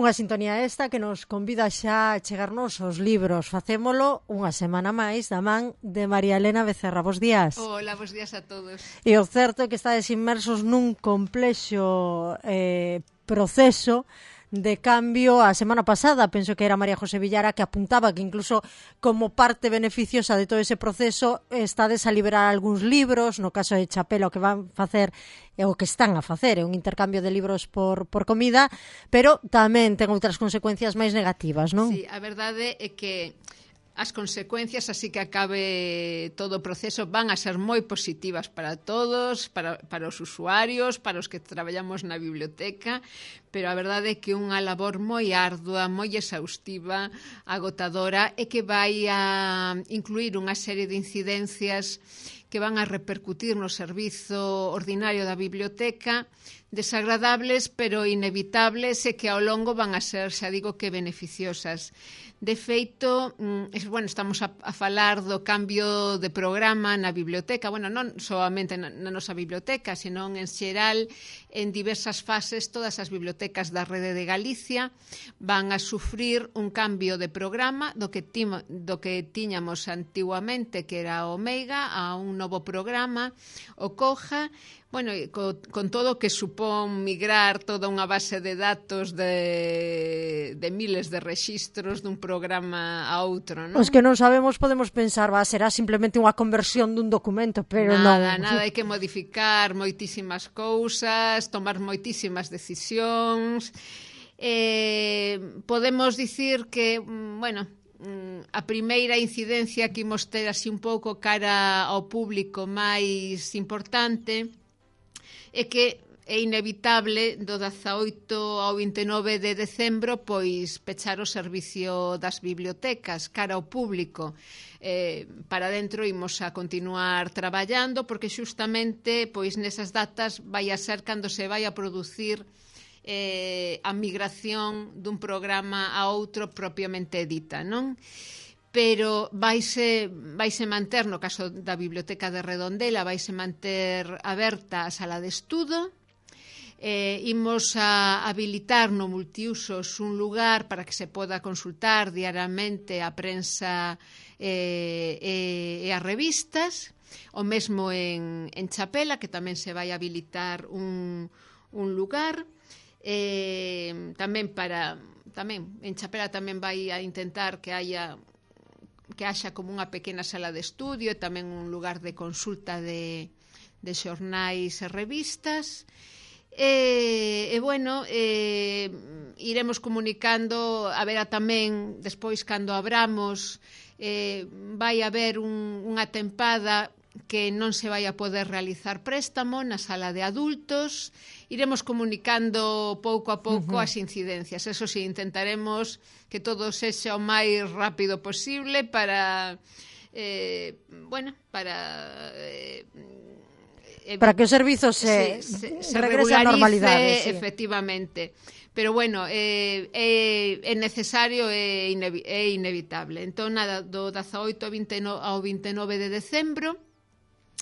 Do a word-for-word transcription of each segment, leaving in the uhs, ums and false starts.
Unha sintonía esta que nos convida xa a chegarnos aos libros. Facémolo unha semana máis da man de María Elena Becerra. Bos días. Hola, bos días a todos. E o certo é que estades inmersos nun complexo eh, proceso de cambio. A semana pasada penso que era María José Villara que apuntaba que incluso como parte beneficiosa de todo ese proceso estades a liberar algúns libros. No caso de Chapela o que van facer é o que están a facer, é un intercambio de libros por, por comida, pero tamén ten outras consecuencias máis negativas, non? Sí, a verdade é que as consecuencias, así que acabe todo o proceso, van a ser moi positivas para todos, para, para os usuarios, para os que traballamos na biblioteca, pero a verdade é que unha labor moi ardua, moi exhaustiva, agotadora, e que vai a incluir unha serie de incidencias que van a repercutir no servizo ordinario da biblioteca, desagradables, pero inevitables, e que ao longo van a ser, xa digo, que beneficiosas. De feito, bueno, estamos a, a falar do cambio de programa na biblioteca, bueno, non solamente na, na nosa biblioteca, senón en xeral, en diversas fases, todas as bibliotecas da rede de Galicia van a sufrir un cambio de programa do que, timo, do que tiñamos antiguamente, que era o Meiga, a un novo programa, o Coja. Bueno, con, con todo o que supón migrar toda unha base de datos de, de miles de rexistros dun programa a outro, non? Os que non sabemos podemos pensar, va, será simplemente unha conversión dun documento, pero nada, non. Nada, hai que modificar moitísimas cousas, tomar moitísimas decisións. Eh, podemos dicir que, bueno, a primeira incidencia que imos ter así un pouco cara ao público máis importante é que é inevitable do dezaoito ao vinte e nove de decembro pois pechar o servicio das bibliotecas cara ao público. Eh, para dentro imos a continuar traballando porque xustamente pois nesas datas vai a ser cando se vai a producir eh, a migración dun programa a outro propiamente dita, non? Pero vaise, vaise manter, no caso da Biblioteca de Redondela, vaise manter aberta a sala de estudo. Eh, imos a habilitar no multiusos un lugar para que se poda consultar diariamente a prensa eh, e, e as revistas. O mesmo en, en Chapela, que tamén se vai habilitar un, un lugar. Eh, tamén para tamén en Chapela tamén vai a intentar que haya que haxa como unha pequena sala de estudio e tamén un lugar de consulta de, de xornais e revistas. E, e bueno, e, iremos comunicando, haberá tamén, despois cando abramos, eh, vai haber un, unha tempada que non se vai a poder realizar préstamo na sala de adultos. Iremos comunicando pouco a pouco uh-huh. as incidencias. Eso sí, intentaremos que todo sexa o máis rápido posible para eh, bueno, para eh, para que o servizo se, se, se, se regrese á normalidade, sí. Efectivamente. Pero bueno, é, é, é necesario e inevi é inevitable. Entón, nada, do dezaoito ao vinte e nove de decembro,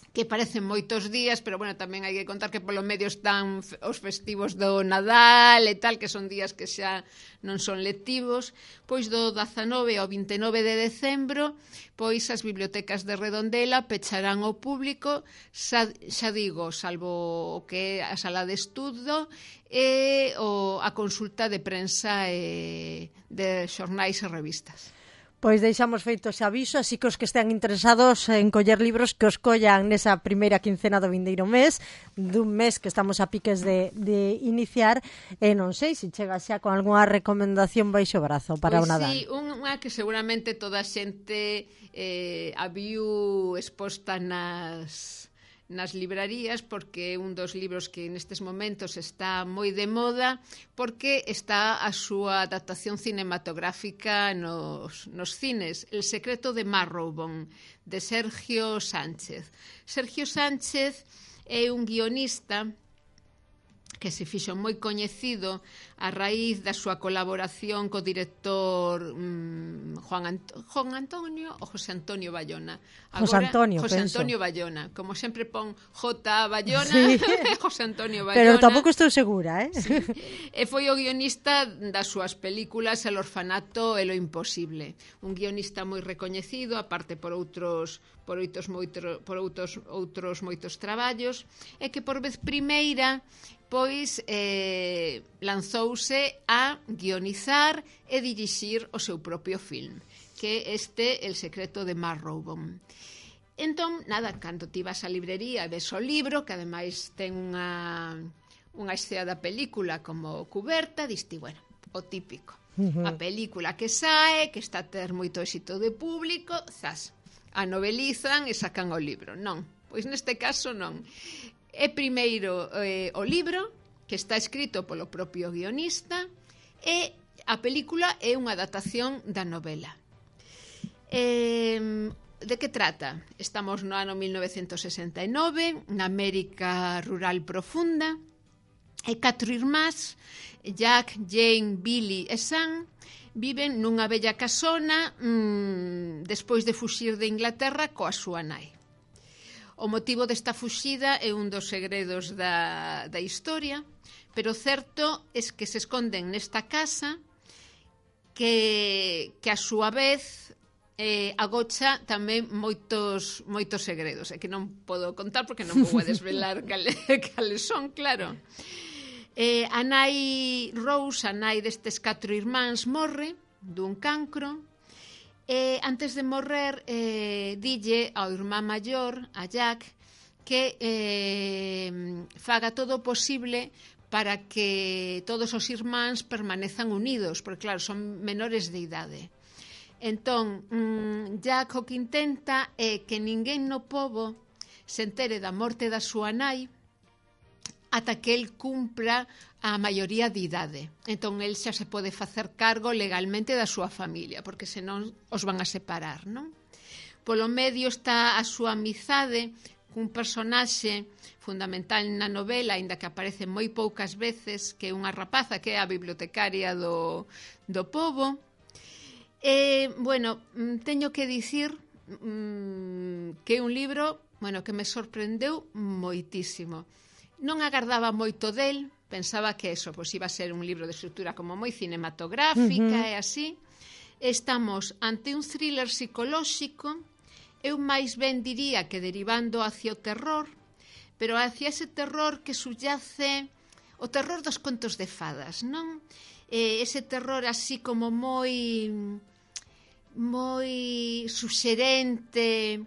que parecen moitos días, pero bueno, tamén hai que contar que polo medio están os festivos do Nadal e tal, que son días que xa non son lectivos. Pois do dezanove ao vinte e nove de decembro, pois as bibliotecas de Redondela pecharán ao público, xa, xa digo, salvo o que é a sala de estudo e o, a consulta de prensa e de xornais e revistas. Pois deixamos feito ese aviso, así que os que estean interesados en coller libros que os collan nesa primeira quincena do vindeiro mes, dun mes que estamos a piques de, de iniciar, e non sei se chega xa con algunha recomendación baixo brazo para pois o Nadal. Sí, unha que seguramente toda a xente eh, a viu exposta nas... nas librarías, porque é un dos libros que nestes momentos está moi de moda, porque está a súa adaptación cinematográfica nos, nos cines, El secreto de Marrowbone, de Sergio Sánchez. Sergio Sánchez é un guionista que se fixo moi coñecido a raíz da súa colaboración co director mm, Juan, Ant Juan Antonio ou José Antonio Bayona. Agora, José Antonio, José penso. Antonio Bayona. Como sempre pon J. Bayona, sí. José Antonio Bayona. Pero tampouco estou segura, eh? Sí. E foi o guionista das súas películas El orfanato e Lo imposible. Un guionista moi recoñecido, aparte por outros por outros moitos por outros outros moitos traballos, e que por vez primeira pois eh, lanzouse a guionizar e dirixir o seu propio film, que este El secreto de Marrowbone. Entón, nada, cando ti vas á librería e ves o libro, que ademais ten unha, unha escena da película como cuberta, diste, bueno, o típico. Uh-huh. A película que sae, que está a ter moito éxito de público, zas, a novelizan e sacan o libro. Non, pois neste caso non. É primeiro eh, o libro, que está escrito polo propio guionista, e a película é unha adaptación da novela. Eh, de que trata? Estamos no ano mil novecentos sesenta e nove, na América rural profunda, e catro irmás, Jack, Jane, Billy e Sam, viven nunha bella casona mmm, despois de fuxir de Inglaterra coa súa nai. O motivo desta fuxida é un dos segredos da, da historia, pero certo é que se esconden nesta casa que, que a súa vez eh, agocha tamén moitos, moitos segredos, e que non podo contar porque non vou a desvelar cales, cales son, claro. Eh, a nai Rose, a nai destes catro irmáns, morre dun cancro. E antes de morrer, eh, dille ao irmán maior, a Jack, que eh, faga todo o posible para que todos os irmáns permanezan unidos, porque claro, son menores de idade. Entón, mmm, Jack o que intenta é que ninguén no pobo se entere da morte da súa nai ata que el cumpra a maioría de idade. Entón, el xa se pode facer cargo legalmente da súa familia, porque senón os van a separar, non? Polo medio está a súa amizade cun personaxe fundamental na novela, aínda que aparece moi poucas veces, que é unha rapaza que é a bibliotecaria do, do pobo. E, bueno, teño que dicir mmm, que é un libro, bueno, que me sorprendeu moitísimo. Non agardaba moito del, pensaba que eso, pois iba a ser un libro de estrutura como moi cinematográfica uh-huh. e así. Estamos ante un thriller psicolóxico, eu máis ben diría que derivando hacia o terror, pero hacia ese terror que subyace o terror dos contos de fadas, non? Eh, ese terror así como moi moi suxerente,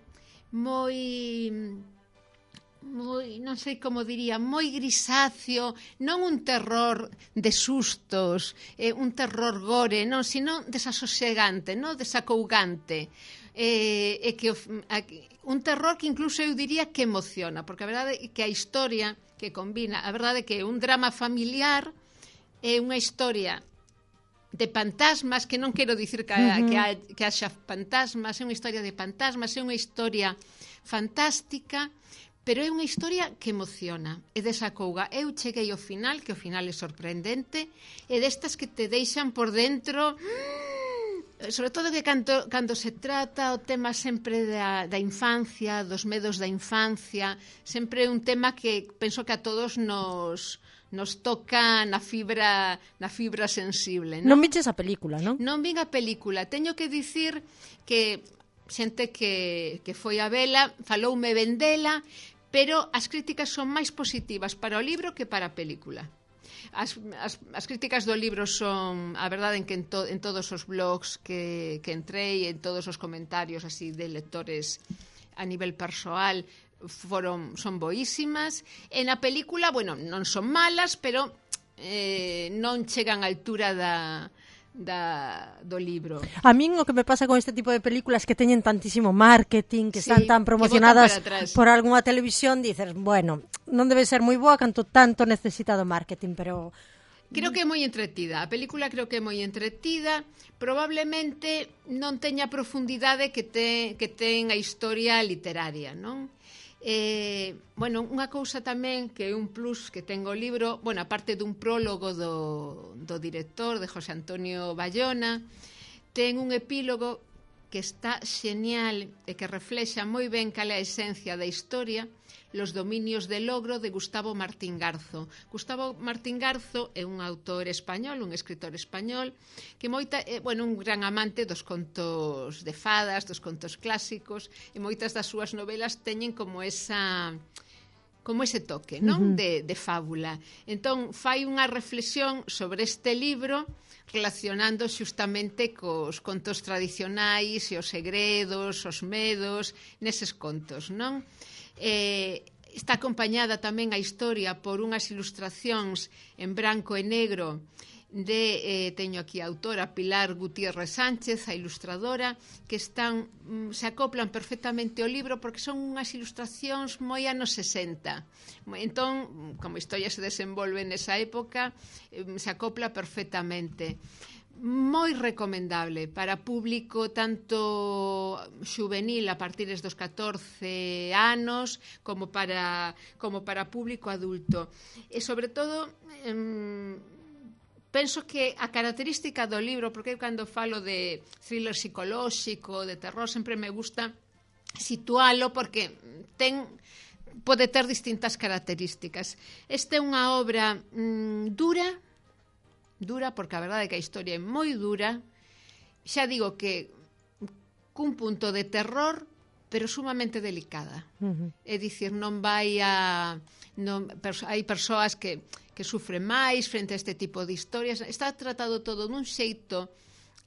moi moi, non sei como diría, moi grisáceo, non un terror de sustos, eh, un terror gore, non, sino desasosegante, non, desacougante. Eh, e que un terror que incluso eu diría que emociona, porque a verdade é que a historia que combina, a verdade é que un drama familiar é unha historia de fantasmas, que non quero dicir que, uh-huh. que, ha, que haxa fantasmas, é unha historia de fantasmas, é unha historia fantástica, pero é unha historia que emociona e desacouga. Eu cheguei ao final, que o final é sorprendente, e destas que te deixan por dentro, sobre todo que cando, cando se trata o tema sempre da, da infancia, dos medos da infancia, sempre é un tema que penso que a todos nos nos toca na fibra na fibra sensible, non? Non viches a película, non? Non vin a película. Teño que dicir que xente que, que foi a vela faloume ben dela, pero as críticas son máis positivas para o libro que para a película. As, as, as críticas do libro son, a verdade, en que en, to, en todos os blogs que, que entrei, en todos os comentarios así de lectores a nivel persoal, foron son boísimas. En a película, bueno, non son malas, pero eh, non chegan á altura da Da, do libro. A min o que me pasa con este tipo de películas que teñen tantísimo marketing, que sí, están tan promocionadas por algunha televisión, dices, bueno, non debe ser moi boa canto tanto necesita do marketing, pero creo que é moi entretida. A película creo que é moi entretida. Probablemente non teña a profundidade que, te, que ten a historia literaria, non? Eh, bueno, unha cousa tamén que é un plus que ten o libro, bueno, aparte dun prólogo do, do director, de José Antonio Bayona, ten un epílogo que está xenial e que reflexa moi ben cal é a esencia da historia, Los dominios del logro, de Gustavo Martín Garzo. Gustavo Martín Garzo é un autor español, un escritor español, que moita, é, bueno, un gran amante dos contos de fadas, dos contos clásicos, e moitas das súas novelas teñen como esa... como ese toque, non? Uh -huh. de, de fábula. Entón, fai unha reflexión sobre este libro relacionando xustamente cos contos tradicionais e os segredos, os medos, neses contos, non? Eh, está acompañada tamén a historia por unhas ilustracións en branco e negro de, eh, teño aquí a autora Pilar Gutiérrez Sánchez, a ilustradora, que están, se acoplan perfectamente ao libro porque son unhas ilustracións moi anos sesenta. Entón, como a historia se desenvolve nesa época, se acopla perfectamente. Moi recomendable para público tanto xuvenil a partir dos catorce anos como para, como para público adulto. E sobre todo, eh, penso que a característica do libro, porque cando falo de thriller psicolóxico, de terror, sempre me gusta situalo porque ten, pode ter distintas características. Esta é unha obra mm, dura, dura porque a verdade é que a historia é moi dura, xa digo que cun punto de terror, pero sumamente delicada. Uh -huh. É dicir, non vai a... Non, perso, hai persoas que, que sufren máis frente a este tipo de historias. Está tratado todo dun xeito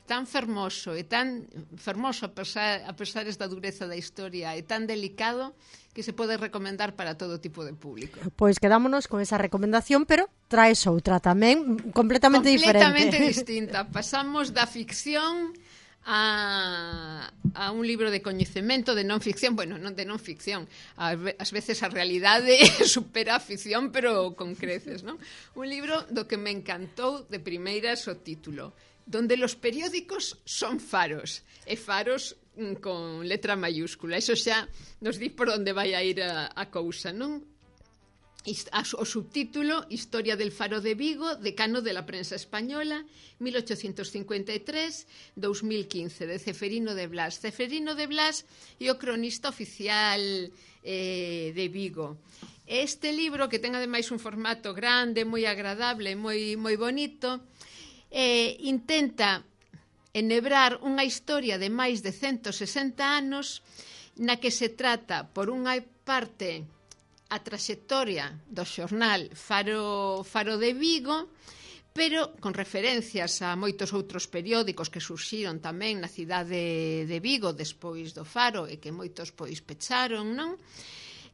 tan fermoso e tan fermoso a pesar, a pesar da dureza da historia e tan delicado que se pode recomendar para todo tipo de público. Pois quedámonos con esa recomendación, pero traes outra tamén completamente, completamente diferente. Completamente distinta. Pasamos da ficción a, a un libro de coñecemento, de non ficción, bueno, non de non ficción. Ás veces a realidade supera a ficción, pero con creces, non? Un libro do que me encantou de primeiras o título, donde los periódicos son faros, e faros con letra mayúscula. Eso xa nos di por onde vai a ir a, a cousa, non? O subtítulo, Historia del Faro de Vigo, decano de la prensa española, mil ochocientos cincuenta e tres a dos mil quince, de Ceferino de Blas. Ceferino de Blas é o cronista oficial eh, de Vigo. Este libro, que ten ademais un formato grande, moi agradable, moi, moi bonito, eh, intenta enhebrar unha historia de máis de ciento sesenta anos na que se trata, por unha parte, a traxectoria do xornal Faro, Faro de Vigo, pero con referencias a moitos outros periódicos que surxiron tamén na cidade de Vigo despois do Faro e que moitos pois pecharon, non?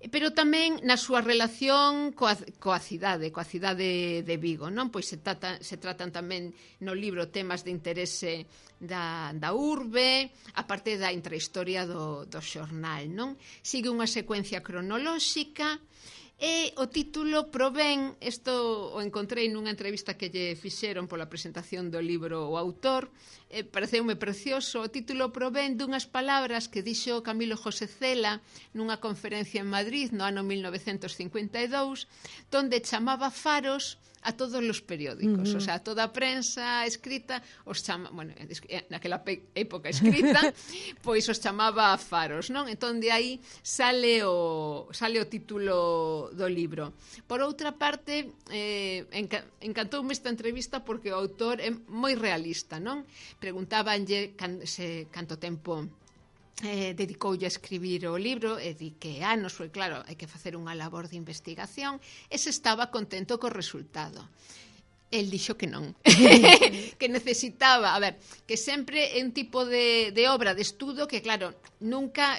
Pero tamén na súa relación coa, coa cidade, coa cidade de Vigo, non? Pois se, trata, se tratan tamén no libro temas de interese da, da urbe, a parte da intrahistoria do, do xornal, non? Sigue unha secuencia cronolóxica e o título provén, isto o encontrei nunha entrevista que lle fixeron pola presentación do libro o autor, eh, pareceume precioso, o título provén dunhas palabras que dixo Camilo José Cela nunha conferencia en Madrid no ano mil novecentos cincuenta e dous, donde chamaba faros a todos os periódicos, uh -huh. O sea, toda a prensa escrita os chama, bueno, naquela época escrita, pois os chamaba faros, non? Entón de aí sale o sale o título do libro. Por outra parte, eh, enca encantoume esta entrevista porque o autor é moi realista, non? Preguntábanlle can, se, canto tempo Eh, dedicoulle a escribir o libro e di que anos, foi claro, hai que facer unha labor de investigación e se estaba contento co resultado. El dixo que non, que necesitaba, a ver, que sempre é un tipo de, de obra de estudo que claro, nunca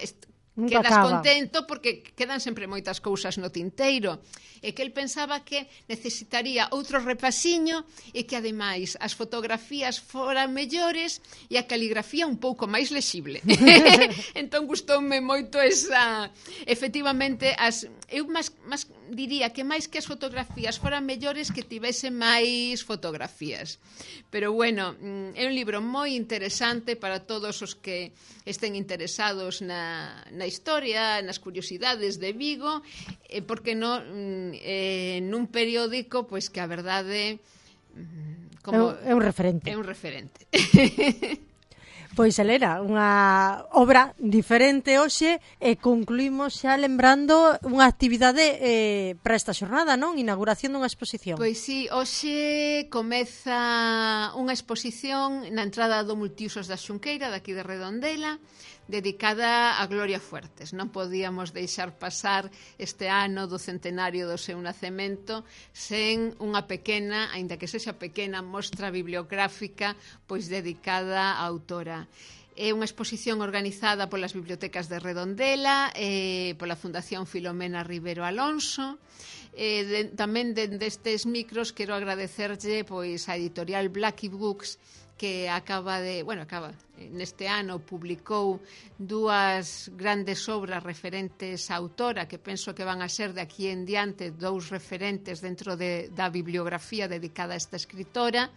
Nunca quedas acaba. contento porque quedan sempre moitas cousas no tinteiro e que el pensaba que necesitaría outro repasiño e que ademais as fotografías foran mellores e a caligrafía un pouco máis lexible. Entón gustoume moito esa, efectivamente, as, eu máis, máis diría que máis que as fotografías foran mellores que tivese máis fotografías. Pero bueno, é un libro moi interesante para todos os que estén interesados na, na historia, nas curiosidades de Vigo, eh, porque no, eh, nun periódico, pois que a verdade como é un referente. É un referente. Pois, Elena, unha obra diferente hoxe e concluímos xa lembrando unha actividade eh, para esta xornada, non? Inauguración dunha exposición. Pois sí, hoxe comeza unha exposición na entrada do Multiusos da Xunqueira, daqui de Redondela, dedicada a Gloria Fuertes. Non podíamos deixar pasar este ano do centenario do seu nacemento sen unha pequena, aínda que sexa pequena, mostra bibliográfica pois dedicada á autora. É unha exposición organizada polas bibliotecas de Redondela, eh, pola Fundación Filomena Rivero Alonso. Eh, de, tamén dende estes micros quero agradecerlle pois a editorial Blackie Books, que acaba de, bueno, acaba, neste ano publicou dúas grandes obras referentes á autora, que penso que van a ser de aquí en diante dous referentes dentro de, da bibliografía dedicada a esta escritora,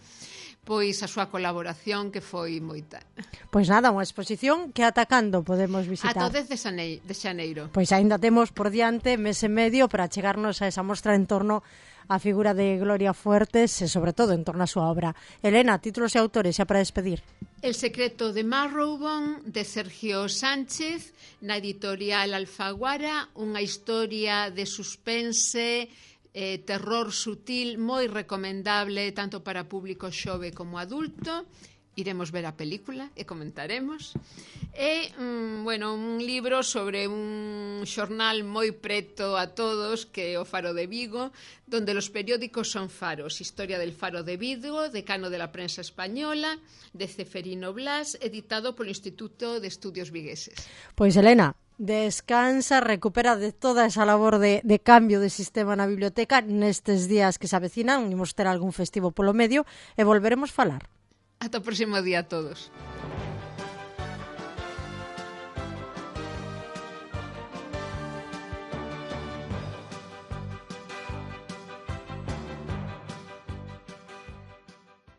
pois a súa colaboración que foi moita. Pois nada, unha exposición que atacando podemos visitar. Ata o dez de xaneiro. Pois aínda temos por diante mes e medio para chegarnos a esa mostra en torno a figura de Gloria Fuertes e sobre todo en torno a súa obra. Elena, títulos e autores xa para despedir. El secreto de Marrowbone, de Sergio Sánchez, na editorial Alfaguara, unha historia de suspense, eh, terror sutil, moi recomendable tanto para público xove como adulto. Iremos ver a película e comentaremos. E, mm, bueno, un libro sobre un xornal moi preto a todos, que é o Faro de Vigo, donde los periódicos son faros. Historia del Faro de Vigo, decano de la prensa española, de Ceferino Blas, editado polo Instituto de Estudios Vigueses. Pois, Elena, descansa, recupera de toda esa labor de, de cambio de sistema na biblioteca nestes días que se avecinan, imos ter algún festivo polo medio e volveremos falar. Ata o próximo día a todos.